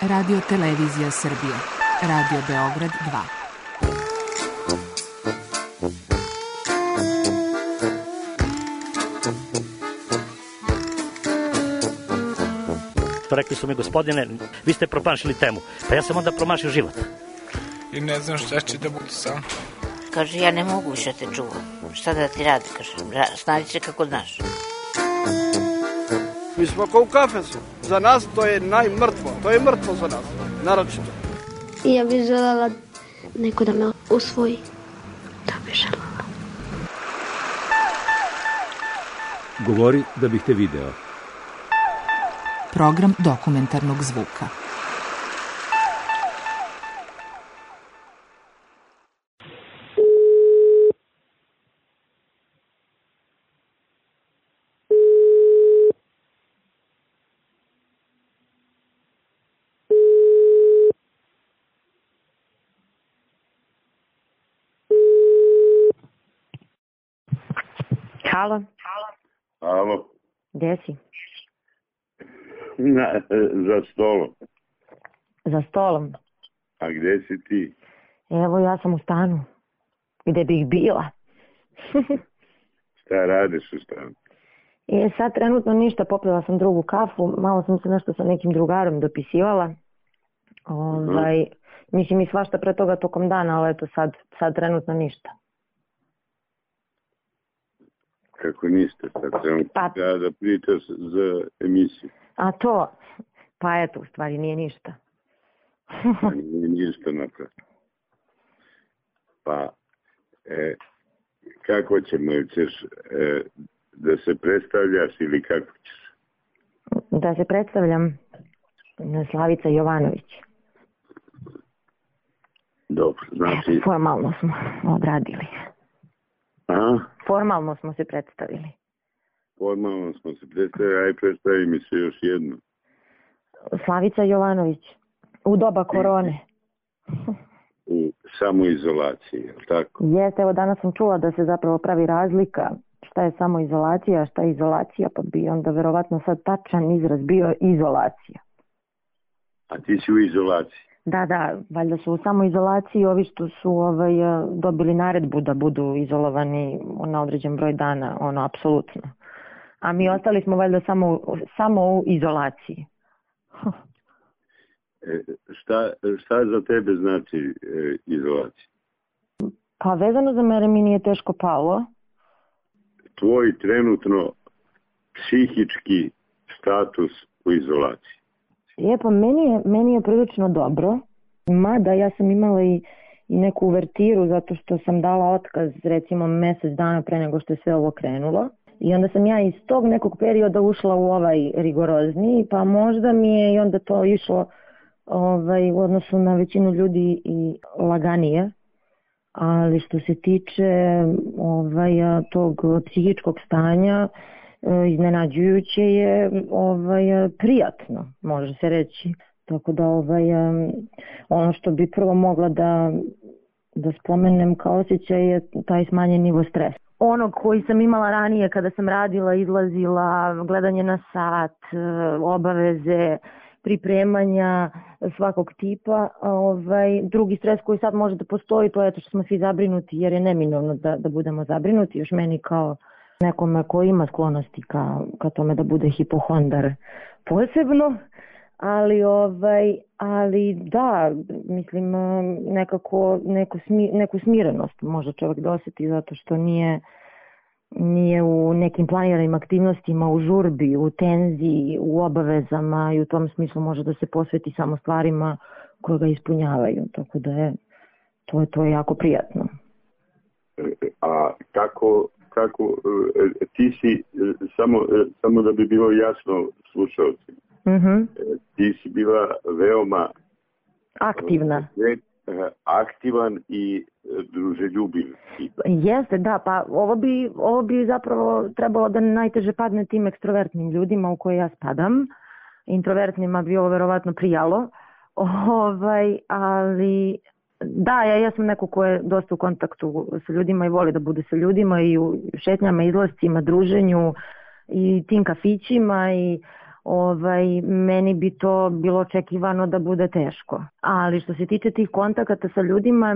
Radio Televizija Srbije. Radio Beograd 2. Rekli su mi, gospodine, vi ste promašili temu. Pa ja sam onda promašio život. I ne znam šta će da bude sam. Kaže, ja ne mogu više te čuvam. Šta da ti radi, kaže, snađi se kako znaš. Mi smo kao u kafesu. Za nas to je najmrtvo. To je mrtvo za nas, naročito. I ja bih želela neko da me usvoji. To bih želela. Govori da bih te video. Program dokumentarnog zvuka. Halo. Alo. Gde si? Za stolom. Za stolom? A gde si ti? Evo, ja sam u stanu. Gde bih bila? Šta radiš u stanu? Sad trenutno ništa, popila sam drugu kafu, malo sam se nešto sa nekim drugarom dopisivala. Mislim i svašta pre toga tokom dana, ali eto sad trenutno ništa. Kako ništa, sad trebam da pričaš za emisiju. A to? Pa eto, u stvari nije ništa. Nije ništa napravo. Pa, kako ćemo, ćeš da se predstavljaš ili kako ćeš? Da se predstavljam, Slavica Jovanović. Dobro, znači... Formalno smo odradili. Aha? Formalno smo se predstavili. Formalno smo se predstavili, aj predstavi mi se još jedno. Slavica Jovanović, u doba korone. U samoizolaciji, je li tako? Jeste, evo danas sam čula da se zapravo pravi razlika šta je samoizolacija, šta je izolacija, pa bi onda verovatno sad tačan izraz bio izolacija. A ti si u izolaciji? Da, valjda su u samoizolaciji ovi što su dobili naredbu da budu izolovani na određen broj dana, apsolutno. A mi ostali smo valjda samo u izolaciji. Šta za tebe znači izolacija? Pa vezano za mene mi nije teško palo. Tvoj trenutno psihički status u izolaciji? Pa meni je prilično dobro, mada ja sam imala i neku uvertiru zato što sam dala otkaz recimo mjesec dana pre nego što je sve ovo krenulo. I onda sam ja iz tog nekog perioda ušla u ovaj rigorozniji, pa možda mi je i onda to išlo u odnosu na većinu ljudi i laganije. Ali što se tiče tog psihičkog stanja, iznenađujuće je prijatno, može se reći. Tako da ono što bi prvo mogla da spomenem kao osjećaj je taj smanjen nivo stresa. Onog koji sam imala ranije kada sam radila, izlazila, gledanje na sat, obaveze, pripremanja svakog tipa. Drugi stres koji sad može da postoji, to je to što smo svi zabrinuti jer je neminovno da budemo zabrinuti. Još meni kao nekome koji ima sklonosti ka tome da bude hipohondar posebno. Ali da, mislim neku smirenost može čovjek da osjeti zato što nije u nekim planiranim aktivnostima, u žurbi, u tenziji, u obavezama i u tom smislu može da se posveti samo stvarima koje ga ispunjavaju. Tako da je to je jako prijatno. A kako ti si, samo da bi bilo jasno slušalcima, ti si bila veoma aktivan i druželjubiv. Jeste, da, pa ovo bi zapravo trebalo da najteže padne tim ekstrovertnim ljudima u koje ja spadam. Introvertnima bi ovo verovatno prijalo. Ali da, ja sam neko ko je dosta u kontaktu sa ljudima i voli da bude sa ljudima i u šetnjama, izlascima, druženju i tim kafićima i meni bi to bilo očekivano da bude teško. Ali što se tiče tih kontakata sa ljudima,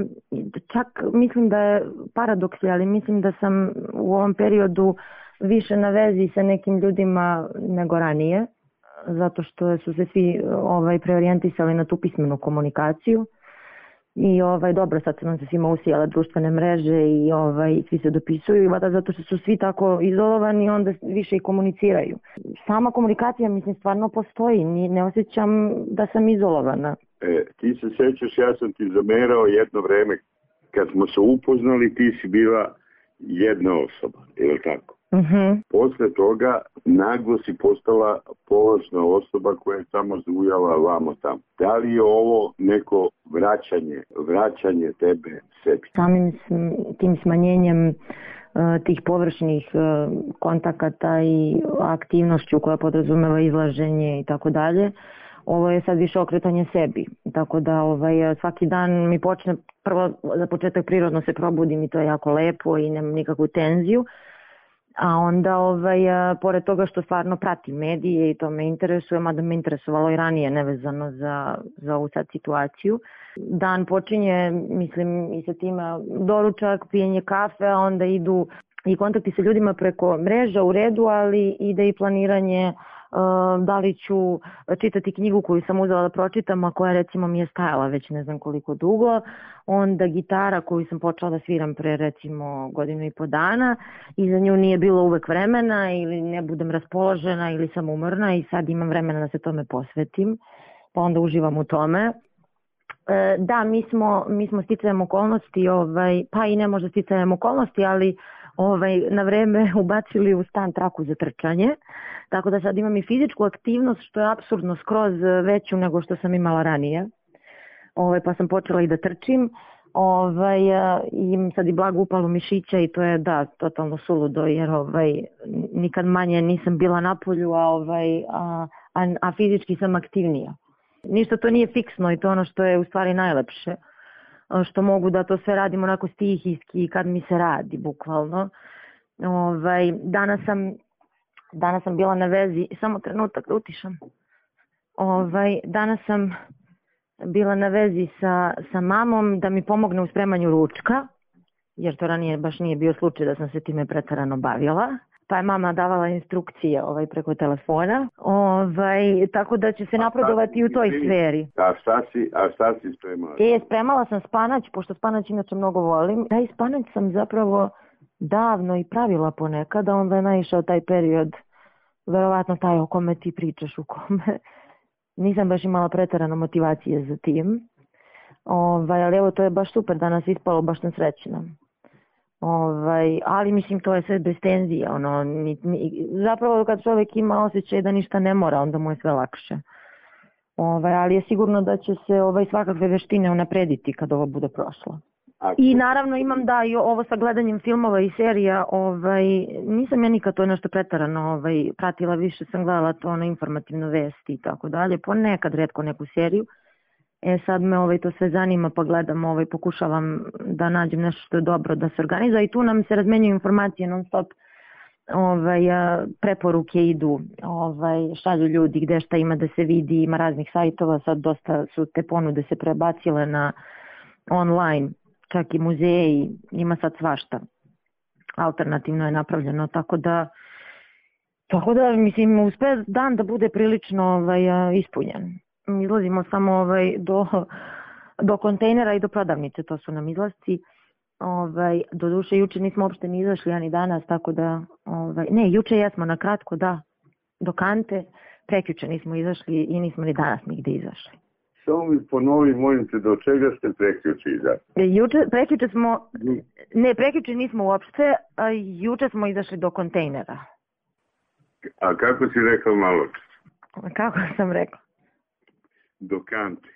čak mislim da je paradoks, ali mislim da sam u ovom periodu više na vezi sa nekim ljudima nego ranije, zato što su se svi preorijentisali na tu pismenu komunikaciju. I dobro, sad su nam se svima usijale društvene mreže i svi se dopisuju, zato što su svi tako izolovani, onda više i komuniciraju. Sama komunikacija, mislim, stvarno postoji, ne osjećam da sam izolovana. Ti se sećaš, ja sam ti zamerao jedno vreme, kad smo se upoznali, ti si bila jedna osoba, je li tako? Posle toga naglo si postala položna osoba koja je samo zujala vamo tamo. Da li je ovo neko vraćanje tebe sebi? Samim tim smanjenjem tih površnih kontakata i aktivnošću koja podrazumeva izlaženje i tako dalje, ovo je sad više okretanje sebi. Tako da svaki dan mi počne, prvo za početak prirodno se probudim i to je jako lepo i nemam nikakvu tenziju. A onda, pored toga što stvarno pratim medije i to me interesuje, mada me interesovalo i ranije nevezano za ovu sad situaciju. Dan počinje, mislim, i sa tima doručak, pijenje kafe, a onda idu i kontakti sa ljudima preko mreža u redu, ali ide i planiranje da li ću čitati knjigu koju sam uzela da pročitam, a koja recimo mi je stajala već ne znam koliko dugo, onda gitara koju sam počela da sviram pre recimo 1.5 godina i za nju nije bilo uvek vremena ili ne budem raspoložena ili sam umorna i sad imam vremena da se tome posvetim, pa onda uživam u tome. Da, mi smo sticajem okolnosti, pa i ne možda sticajem okolnosti, ali na vreme ubacili u stan traku za trčanje, tako da sad imam i fizičku aktivnost što je apsurdno skroz veću nego što sam imala ranije, pa sam počela i da trčim, imam sad i blagu upalu mišića i to je da, totalno suludo jer nikad manje nisam bila napolju, a fizički sam aktivnija. Ništa to nije fiksno i to ono što je u stvari najlepše. Što mogu da to sve radim onako stihijski kad mi se radi, bukvalno. Danas sam bila na vezi, samo trenutak da utišam. Danas sam bila na vezi sa mamom da mi pomogne u spremanju ručka, jer to ranije baš nije bio slučaj da sam se time preterano bavila. Pa je mama davala instrukcije preko telefona, tako da će se napredovati u toj sferi. A šta si spremala? Spremala sam spanać, pošto spanać inače mnogo volim. Taj spanać sam zapravo davno i pravila ponekada, onda je naišao taj period, verovatno taj o kome ti pričaš, u kome nisam baš imala preterano motivacije za tim. Ali evo, to je baš super, danas ispalo, baš sam srećna. Ali mislim to je sve bez tenzije, zapravo kad čovjek ima osjećaj da ništa ne mora, onda mu je sve lakše. Ali je sigurno da će se svakakve veštine unaprediti kad ovo bude prošlo. I naravno imam da i ovo sa gledanjem filmova i serija, nisam ja nikad to nešto pretarano pratila, više sam gledala to informativno vesti i tako dalje, ponekad retko neku seriju. Sad me to sve zanima pa gledam, pokušavam da nađem nešto što je dobro da se organizuje i tu nam se razmenjuju informacije non stop, preporuke idu, šalju ljudi gde šta ima da se vidi, ima raznih sajtova, sad dosta su te ponude se prebacile na online, čak i muzeji, ima sad svašta, alternativno je napravljeno, tako da mislim uspe dan da bude prilično ispunjen. Izlazimo samo do kontejnera i do prodavnice, to su nam izlasci. Do duše, juče nismo uopšte ni izašli, ani danas, tako da, ne, juče jesmo na kratko, da, do kante, prekjuče nismo izašli i nismo ni danas nigde izašli. Samo mi ponovi, molim te, do čega ste prekjuče izašli? Prekjuče nismo uopšte, juče smo izašli do kontejnera. A kako si rekao malo? Kako sam rekao?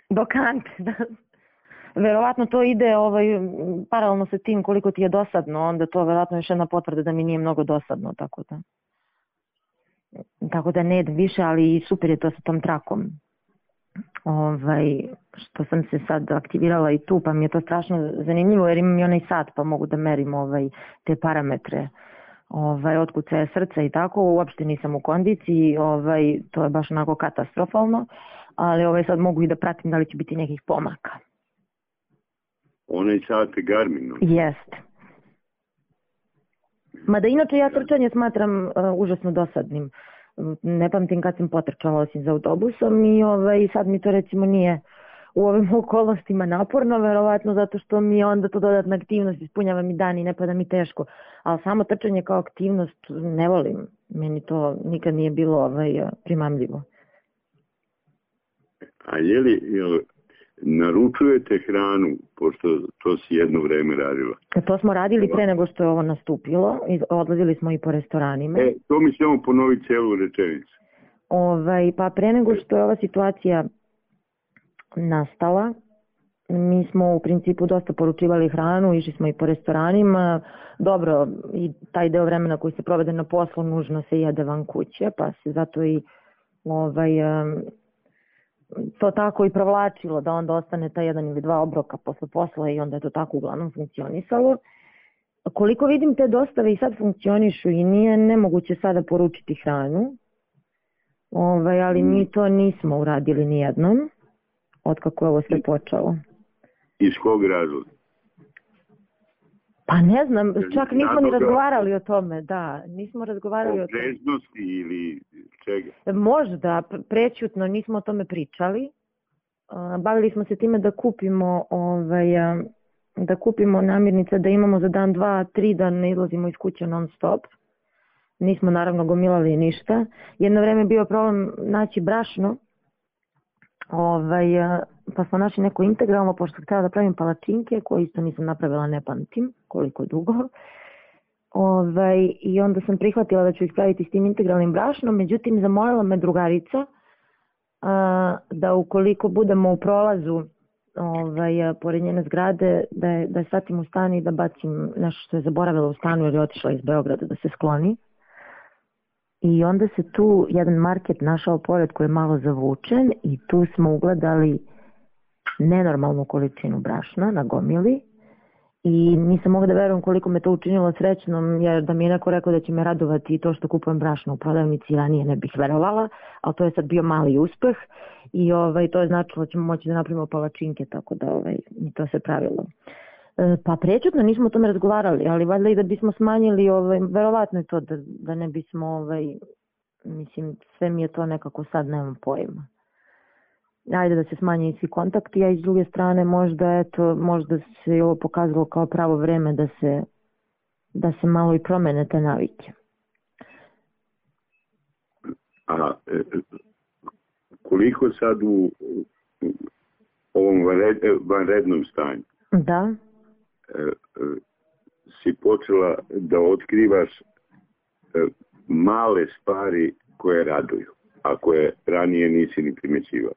Do kante, da. Verovatno to ide paralelno sa tim koliko ti je dosadno, onda to verovatno još jedna potvrda da mi nije mnogo dosadno, tako da ne idem više, ali super je to sa tom trakom. Što sam se sad aktivirala i tu, pa mi je to strašno zanimljivo jer imam i onaj sat pa mogu da merim te parametre otkucaje srca i tako, uopšte nisam u kondiciji, to je baš onako katastrofalno, ali sad mogu i da pratim da li će biti nekih pomaka. Onaj sate Garminu? Jeste. Mada inače ja trčanje smatram užasno dosadnim. Ne pamtim kad sam potrčala osim za autobusom i sad mi to recimo nije u ovim okolnostima naporno, verovatno zato što mi je onda to dodatna aktivnost, ispunjava mi dan i ne pada mi teško. Ali samo trčanje kao aktivnost ne volim. Meni to nikad nije bilo primamljivo. A jel naručujete hranu, pošto to si jedno vreme radila? To smo radili pre nego što je ovo nastupilo. Odlazili smo i po restoranima. To mi ćemo ponoviti celu rečenicu. Pa pre nego što je ova situacija nastala, mi smo u principu dosta poručivali hranu, išli smo i po restoranima. Dobro, i taj deo vremena koji se provede na poslu nužno se jede van kuće, pa se zato i to tako i provlačilo da onda ostane ta 1 ili 2 obroka posle posla i onda je to tako uglavnom funkcionisalo. Koliko vidim, te dostave i sad funkcionišu i nije nemoguće sada poručiti hranu, ali mi to nismo uradili nijednom otkako je ovo sve počelo. Iz kog razloga? Pa ne znam, čak nismo ni razgovarali o tome, nismo razgovarali o tome. O preznosti ili čega? Možda, prećutno nismo o tome pričali. Bavili smo se time da kupimo namirnice, da imamo za dan, 2, 3 da ne izlazimo iz kuće non stop. Nismo naravno gomilali ništa. Jedno vreme je bio problem naći brašno, pa smo našli neko integralno, pošto sam htjela da pravim palačinke, koje isto nisam napravila, ne pamtim koliko dugo. I onda sam prihvatila da ću ih praviti s tim integralnim brašnom, međutim zamolila me drugarica da ukoliko budemo u prolazu pored njene zgrade, da je svatim u stan i da bacim nešto što je zaboravila u stanu jer je otišla iz Beograda da se skloni. I onda se tu jedan market našao pored koji je malo zavučen i tu smo ugledali nenormalnu količinu brašna na gomili i nisam mogla da verujem koliko me to učinilo srećnom, jer da mi je neko rekao da će me radovati i to što kupujem brašno u prodavnici, ranije ne bih verovala, ali to je sad bio mali uspeh i to je značilo da ćemo moći da napravimo palačinke, tako da mi to se pravilo. Pa prećutno nismo o tome razgovarali, ali valjda i da bismo smanjili, verovatno je to da ne bismo, mislim, sve mi je to nekako sad, nemam pojma. Ajde da se smanje i svi kontakti, a i s druge strane možda se ovo pokazalo kao pravo vreme da se malo i promene te navike. A koliko sad u ovom vanrednom stanju? Da. Si počela da otkrivaš male stvari koje raduju, a koje ranije nisi ni primećivala?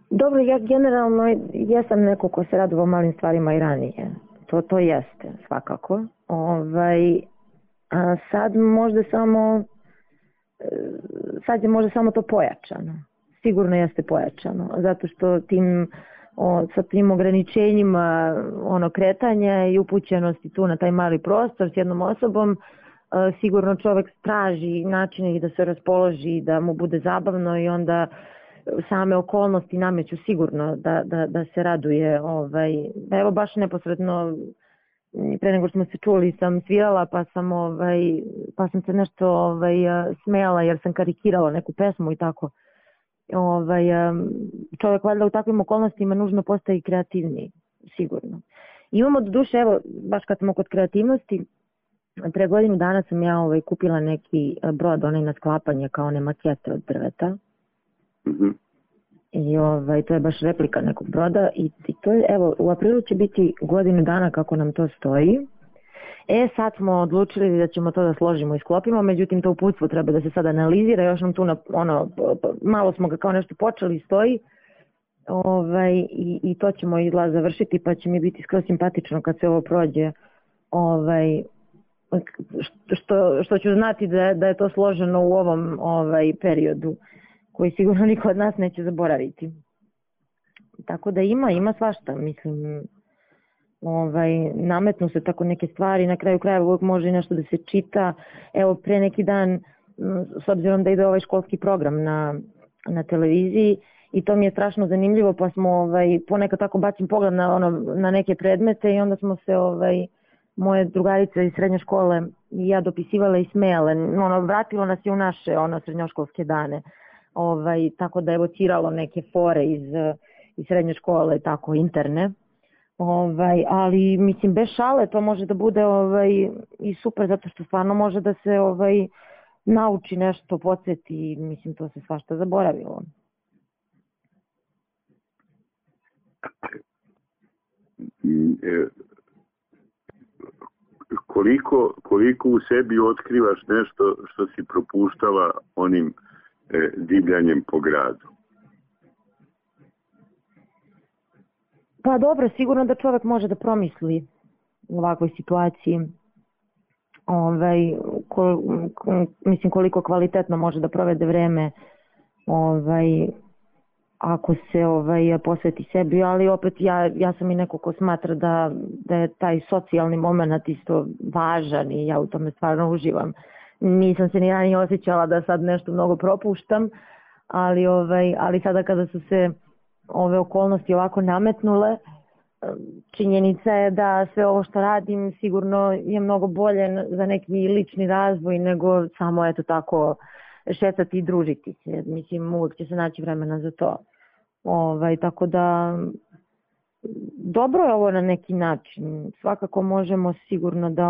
Dobro, ja generalno jesam neko ko se radovao malim stvarima i ranije. To jeste, svakako. A sad je možda samo to pojačano. Sigurno jeste pojačano, zato što sa tim ograničenjima kretanja i upućenosti tu na taj mali prostor s jednom osobom, sigurno čovek traži načine da se raspoloži, da mu bude zabavno i onda same okolnosti nameću sigurno da se raduje. Evo baš neposredno pre nego što smo se čuli sam svirala pa sam se nešto smejala jer sam karikirala neku pesmu i tako. Čovjek valjda u takvim okolnostima nužno postaje kreativniji, sigurno. Imamo do duše, evo, baš kad smo kod kreativnosti, pre godinu dana sam ja kupila neki brod, onaj na sklapanje, kao one makete od drveta. I to je baš replika nekog broda i to je, evo, u aprilu će biti godinu dana kako nam to stoji. Sad smo odlučili da ćemo to da složimo i sklopimo, međutim to uputstvo treba da se sad analizira, još nam tu malo smo ga kao nešto počeli i stoji i to ćemo izgleda završiti pa će mi biti skroz simpatično kad se ovo prođe, što ću znati da je to složeno u ovom periodu koji sigurno niko od nas neće zaboraviti. Tako da ima svašta, mislim. nametnu se tako neke stvari, na kraju krajeva uvijek može i nešto da se čita. Evo, pre neki dan, s obzirom da ide ovaj školski program na televiziji, i to mi je strašno zanimljivo, pa smo ponekad tako bacim pogled na neke predmete i onda smo se moje drugarice iz srednje škole i ja dopisivale i smejale. Vratilo nas je u naše srednjoškolske dane. Tako da je evociralo neke fore iz srednje škole, tako interne. Ali mislim, bez šale to može da bude i super, zato što stvarno može da se nauči nešto, podsjeti, mislim, to se svašta zaboravilo. Koliko u sebi otkrivaš nešto što si propuštala onim divljanjem po gradu? Pa dobro, sigurno da čovjek može da promisli u ovakvoj situaciji. Mislim, koliko kvalitetno može da provede vreme ako se posveti sebi, ali opet ja sam i neko ko smatra da je taj socijalni moment isto važan i ja u tome stvarno uživam. Nisam se ni ranije osjećala da sad nešto mnogo propuštam, ali sada kada su se ove okolnosti ovako nametnule, činjenica je da sve ovo što radim sigurno je mnogo bolje za neki lični razvoj nego samo eto tako šetati i družiti se. Mislim, uvijek će se naći vremena za to. Tako da dobro je ovo na neki način. Svakako možemo sigurno da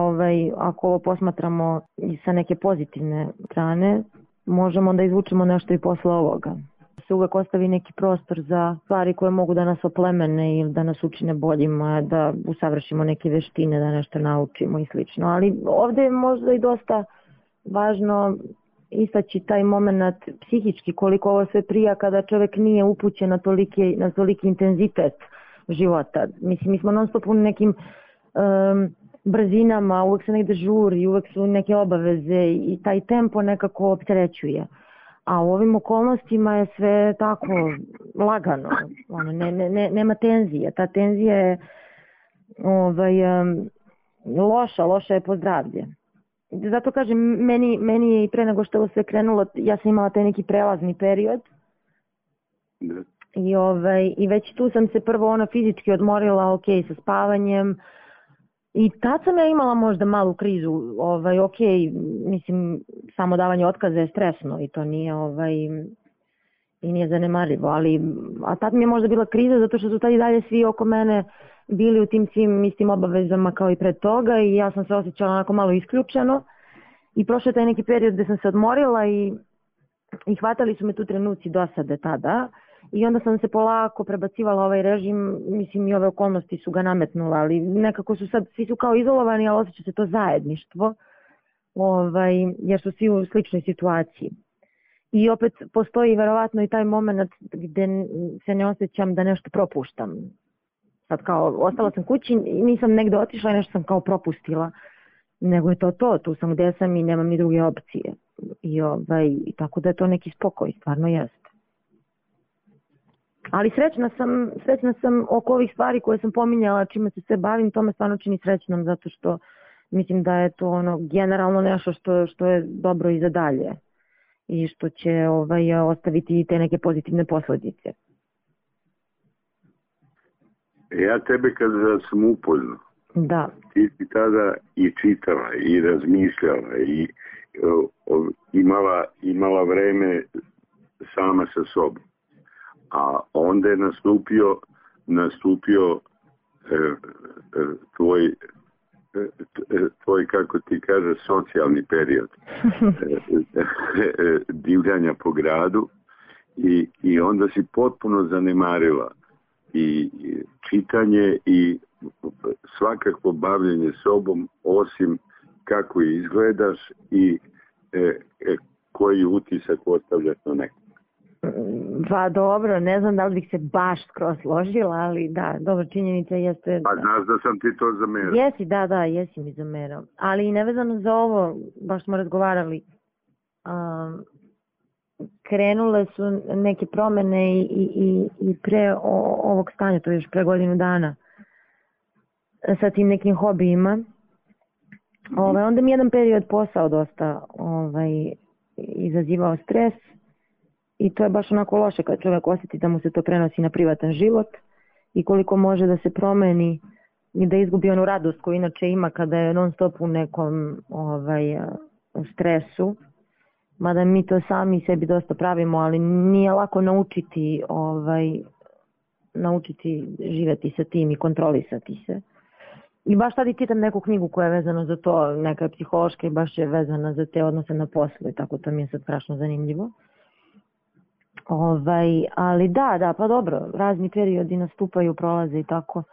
ako ovo posmatramo i sa neke pozitivne strane, možemo da izvučemo nešto i posle ovoga. Se uvek ostavi neki prostor za stvari koje mogu da nas oplemene ili da nas učine boljima, da usavršimo neke veštine, da nešto naučimo i slično. Ali ovde je možda i dosta važno istaći taj moment psihički, koliko ovo sve prija kada čovjek nije upućen na toliki intenzitet života. Mislim, mi smo non stop u nekim brzinama, uvek se negde žuri, uvek su neke obaveze i taj tempo nekako opterećuje. A u ovim okolnostima je sve tako lagano, nema tenzije. Ta tenzija je loša je po zdravlje. Zato kažem, meni je i pre nego što ovo sve krenulo, ja sam imala taj neki prelazni period i već tu sam se prvo fizički odmorila, sa spavanjem, i tad sam ja imala možda malu krizu, mislim, samo davanje otkaza je stresno i to nije i nije zanemarivo, a tad mi je možda bila kriza zato što su tad i dalje svi oko mene bili u tim svim istim obavezama kao i pred toga i ja sam se osjećala onako malo isključeno i prošao je taj neki period gde sam se odmorila i hvatali su me tu trenuci dosade tada i onda sam se polako prebacivala ovaj režim, mislim i ove okolnosti su ga nametnula, ali nekako su sad, svi su kao izolovani, ali osjeća se to zajedništvo, jer su svi u sličnoj situaciji. I opet postoji verovatno i taj moment gde se ne osjećam da nešto propuštam. Sad kao, ostala sam kući i nisam negde otišla i nešto sam kao propustila, nego je to, tu sam gde sam i nemam ni druge opcije. I tako da je to neki spokoj, stvarno jeste. Ali srećna sam oko ovih stvari koje sam pominjala, čime se sve bavim, to me stvarno čini srećnom, zato što mislim da je to generalno nešto što je dobro i za dalje i što će ostaviti te neke pozitivne posledice. Ja tebe kada sam upoznao, da. Ti si tada i čitala i razmišljala i imala vreme sama sa sobom. A onda je nastupio tvoj, kako ti kaže, socijalni period divljanja po gradu i onda si potpuno zanemarila i čitanje i svakako bavljenje sobom, osim kako izgledaš i koji utisak ostavljaš na nekom. Pa dobro, ne znam da li bih se baš skroz složila, ali da, dobro, činjenica jeste... Pa znaš da sam ti to zamerao. Jesi, da, jesi mi zamerao. Ali i nevezano za ovo, baš smo razgovarali, krenule su neke promene i pre ovog stanja, to je još pre godinu dana. sa tim nekim hobijima. Onda mi jedan period posao dosta izazivao stres i to je baš onako loše kad čovjek osjeti da mu se to prenosi na privatan život i koliko može da se promeni i da izgubi onu radost koju inače ima kada je non stop u nekom u stresu. Mada mi to sami sebi dosta pravimo, ali nije lako naučiti živjeti sa tim i kontrolisati se. I baš sad i čitam neku knjigu koja je vezana za to, neka je psihološka i baš je vezana za te odnose na poslu i tako, to mi je sad strašno zanimljivo. Ali da, pa dobro, razni periodi nastupaju, prolaze i tako,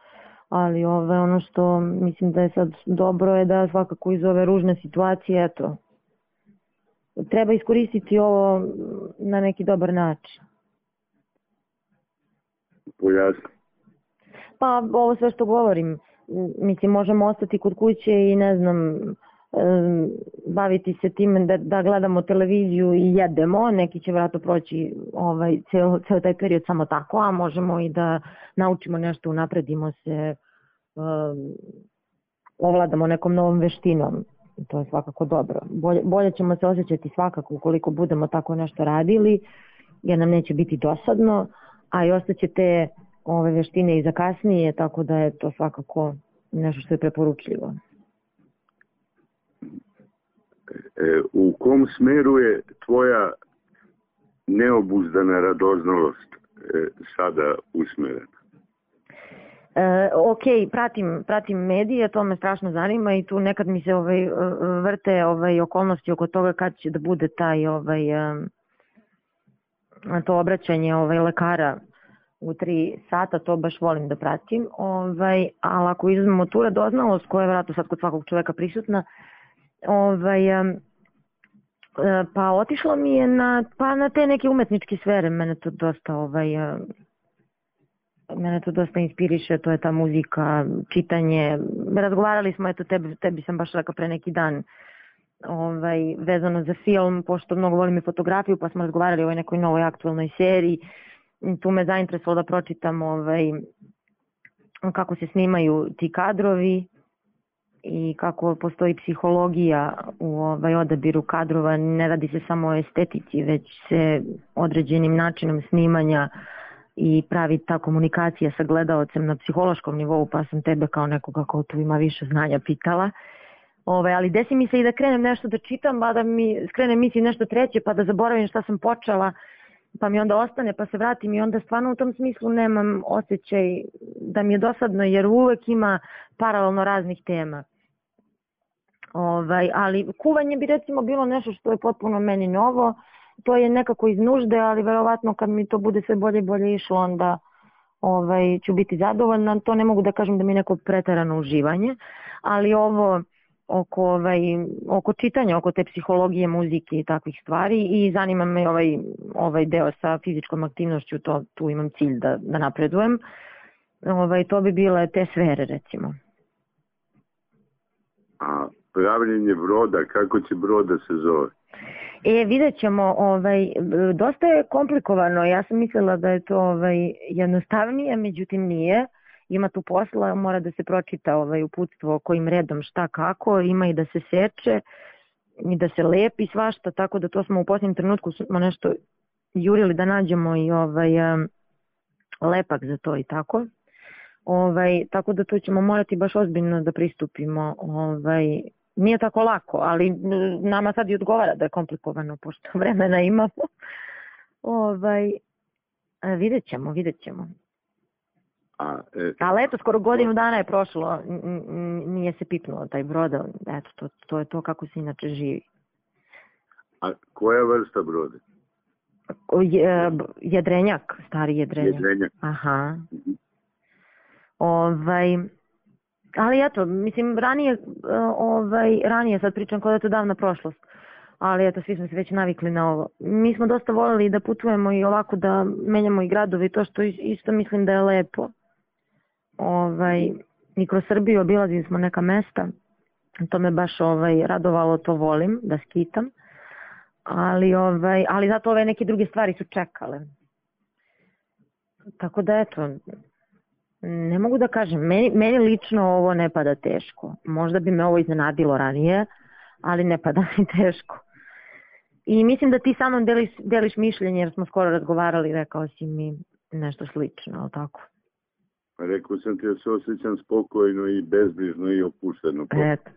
ali ono što mislim da je sad dobro je da svakako iz ove ružne situacije, eto, treba iskoristiti ovo na neki dobar način. Pojasni. Pa ovo sve što govorim, mislim možemo ostati kod kuće i ne znam, baviti se time da gledamo televiziju i jedemo, neki će vjerojatno proći ceo taj period samo tako, a možemo i da naučimo nešto, unapredimo se, ovladamo nekom novom veštinom. To je svakako dobro. Bolje ćemo se osjećati svakako ukoliko budemo tako nešto radili, jer nam neće biti dosadno, a i ostaće te ove veštine i za kasnije, tako da je to svakako nešto što je preporučljivo. U kom smeru je tvoja neobuzdana radoznalost sada usmerena? Ok, pratim medije, to me strašno zanima i tu nekad mi se vrte okolnosti oko toga kad će da bude taj to obraćanje lekara u 3 sata, to baš volim da pratim, ali ako izuzmemo tu radoznalost koja je vjerojatno sad kod svakog čoveka prisutna, pa otišlo mi je na te neke umetničke sfere, mene to dosta inspiriše, to je ta muzika, čitanje, razgovarali smo, eto tebi sam baš rekao pre neki dan, vezano za film, pošto mnogo volim i fotografiju, pa smo razgovarali o ovoj nekoj novoj aktualnoj seriji, tu me zainteresovalo da pročitam kako se snimaju ti kadrovi i kako postoji psihologija u odabiru kadrova, ne radi se samo o estetici, već se određenim načinom snimanja i pravi ta komunikacija sa gledaocem na psihološkom nivou, pa sam tebe kao nekoga ko tu ima više znanja pitala. Ali desi mi se i da krenem nešto da čitam, pa da mi skrenem misli nešto treće, pa da zaboravim šta sam počela, pa mi onda ostane, pa se vratim i onda stvarno u tom smislu nemam osjećaj da mi je dosadno, jer uvek ima paralelno raznih tema. Ali kuvanje bi recimo bilo nešto što je potpuno meni novo, to je nekako iz nužde, ali verovatno kad mi to bude sve bolje i bolje išlo, onda ću biti zadovoljna. To ne mogu da kažem da mi je neko preterano uživanje, ali ovo oko čitanja, oko te psihologije, muzike i takvih stvari, i zanima me ovaj deo sa fizičkom aktivnošću, tu imam cilj da napredujem. To bi bile te sfere recimo. A pravljenje broda, kako će brod da se zove? Vidjet ćemo, dosta je komplikovano, ja sam mislila da je to jednostavnije, međutim nije, ima tu posla, mora da se pročita uputstvo kojim redom šta kako, ima i da se seče i da se lepi svašta, tako da to smo u posljednjem trenutku smo nešto jurili da nađemo i lepak za to i tako. Tako da to ćemo morati baš ozbiljno da pristupimo. Nije tako lako, ali nama sad i odgovara da je komplikovano, pošto vremena imamo. Vidjet ćemo. Ali eto, skoro godinu dana je prošlo, nije se pipnuo taj brod, eto, to je to kako se inače živi. A koja vrsta broda? Jedrenjak, stari jedrenjak. Aha. Ali eto, mislim, ranije sad pričam kao da je to davna prošlost, ali eto, svi smo se već navikli na ovo. Mi smo dosta voljeli da putujemo i ovako da menjamo i gradove i to što isto mislim da je lepo. I kroz Srbiju obilazili smo neka mesta, to me baš radovalo, to volim da skitam, ali zato ove neke druge stvari su čekale. Tako da eto, ne mogu da kažem, meni lično ovo ne pada teško. Možda bi me ovo iznenadilo ranije, ali ne pada mi teško. I mislim da ti sa mnom deliš mišljenje, jer smo skoro razgovarali, rekao si mi nešto slično, ali tako? Pa rekao sam ti da se osjećam spokojno i bezbrižno i opušteno. Eto.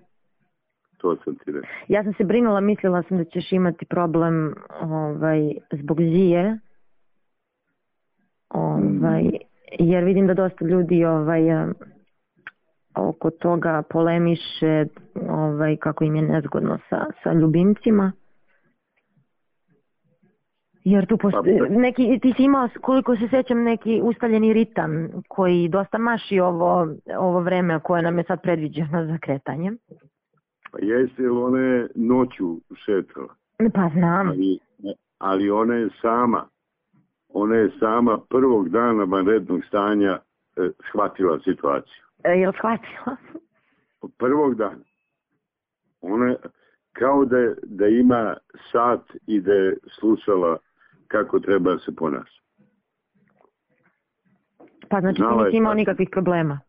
To sam ti rekao. Ja sam se brinula, mislila sam da ćeš imati problem zbog Zije. Jer vidim da dosta ljudi oko toga polemiše kako im je nezgodno sa ljubimcima. Jer tu neki, ti si imao, koliko se sećam, neki ustaljeni ritam koji dosta maši ovo vreme koje nam je sad predviđeno za kretanje. Pa jeste, jer ona je noću šetala. Pa znam. Ali ona je sama prvog dana vanrednog stanja shvatila situaciju. Je li shvatila? Prvog dana. Ona kao da ima sat i da je slušala kako treba se ponašati. Pa znači ti nisi imao nikakvih problema?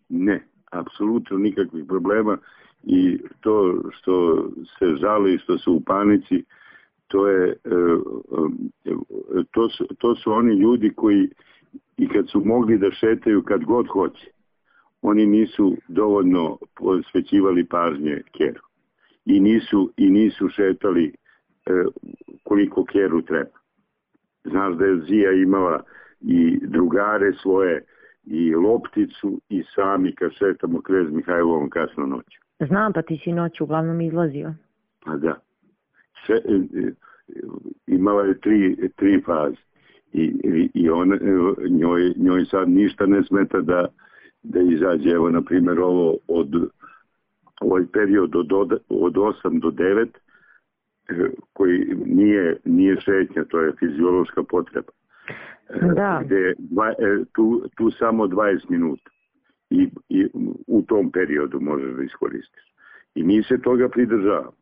Ne, apsolutno nikakvih problema i to što se žali, što su u panici, to su oni ljudi koji i kad su mogli da šetaju kad god hoće, oni nisu dovoljno posvećivali pažnje keru i nisu šetali koliko keru treba. Znaš da je Zija imala i drugare svoje i lopticu i sami kad šetamo Knez Mihajlovom kasno noću. Znam, pa ti si noću uglavnom izlazio. Pa da. Imala je tri faze i njoj sad ništa ne smeta da izađe. Evo, na primjer, ovaj period od 8 do 9 koji nije šetnja, to je fiziološka potreba. Da. Gde tu samo 20 minuta i u tom periodu možeš da iskoristiš. I mi se toga pridržavamo.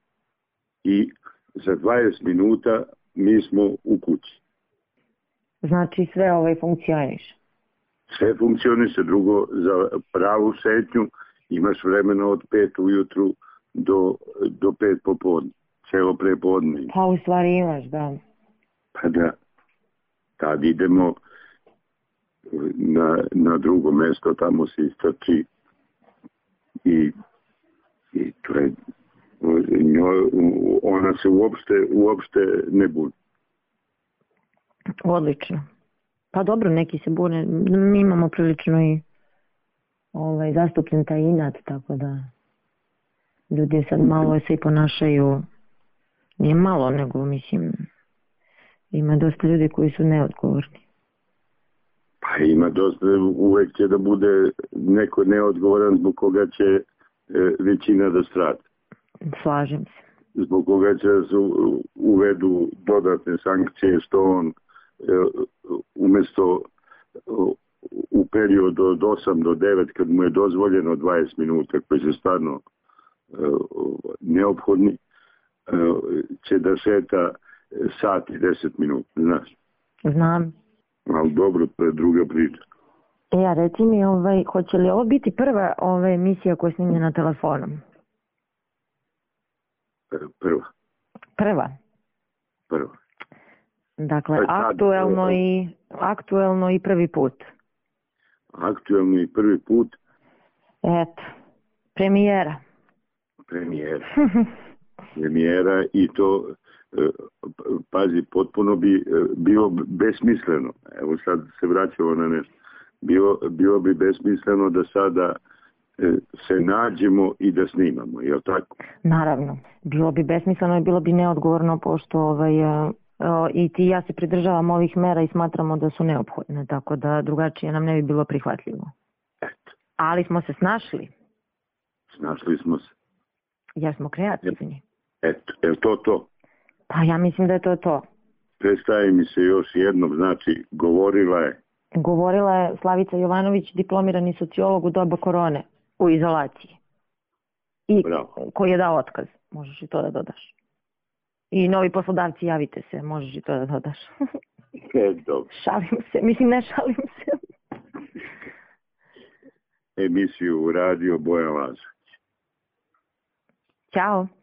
I za 20 minuta mi smo u kući. Znači sve funkcioniše? Sve funkcioniše. Drugo, za pravu šetnju imaš vremena od 5 ujutru do 5 popodne. Celo prepodne. Pa u stvari imaš, da. Pa da. Tad idemo na drugo mesto, tamo se istrči i to je ona se uopšte ne buni. Odlično. Pa dobro, neki se bune. Mi imamo prilično i zastupljen taj inat, tako da ljudi sad malo se i ponašaju, nije malo, nego mislim ima dosta ljudi koji su neodgovorni. Pa ima dosta, uvek će da bude neko neodgovoran zbog koga će većina da strada. Slažem se. Zbog koga će da se uvedu dodatne sankcije, što on umjesto u periodu od 8 do 9 kad mu je dozvoljeno 20 minuta koji su stvarno neophodni, će da šeta sat i 10 minuta, znaš? Znam. Ali dobro, to je druga priča. Ja, reci mi, hoće li ovo biti prva emisija koja je snimljena telefonom? Prva. Dakle, aktuelno i prvi put. Aktuelno i prvi put. Eto, premijera i to, pazi, potpuno bi bilo besmisleno. Evo sad se vraćamo na nešto. Bilo bi besmisleno da sada se nađemo i da snimamo, je li tako? Naravno, bilo bi besmisleno i bilo bi neodgovorno, pošto i ti i ja se pridržavam ovih mera i smatramo da su neophodne, tako da drugačije nam ne bi bilo prihvatljivo. Eto. Ali smo se snašli. Snašli smo se. Jer smo kreativni. Eto, je li to? Pa ja mislim da je to. Predstavi mi se još jednom, znači, govorila je Slavica Jovanović, diplomirani sociolog u doba korone, u izolaciji. I koji je dao otkaz, možeš i to da dodaš. I novi poslodavci, javite se, možeš i to da dodaš. Dobro. Šalim se, mislim ne šalim se. emisiju Radio Bojan Lazović. Ćao.